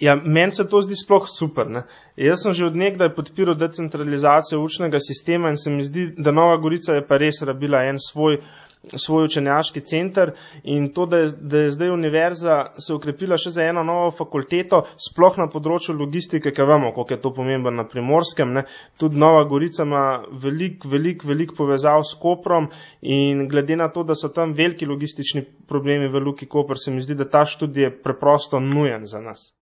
Ja, meni se to zdi sploh super, ne. Jaz sem že od nekdaj podpiral decentralizacijo učnega sistema in se mi zdi, da Nova Gorica je pa res rabila en svoj učenjaški center in to, da je zdaj univerza se okrepila še za eno novo fakulteto, sploh na področju logistike, ker vemo, koliko je to pomembno na Primorskem, ne. Tudi Nova Gorica ima veliko povezav s Koprom in glede na to, da so tam veliki logistični problemi v Luki Koper, se mi zdi, da ta študij je preprosto nujen za nas.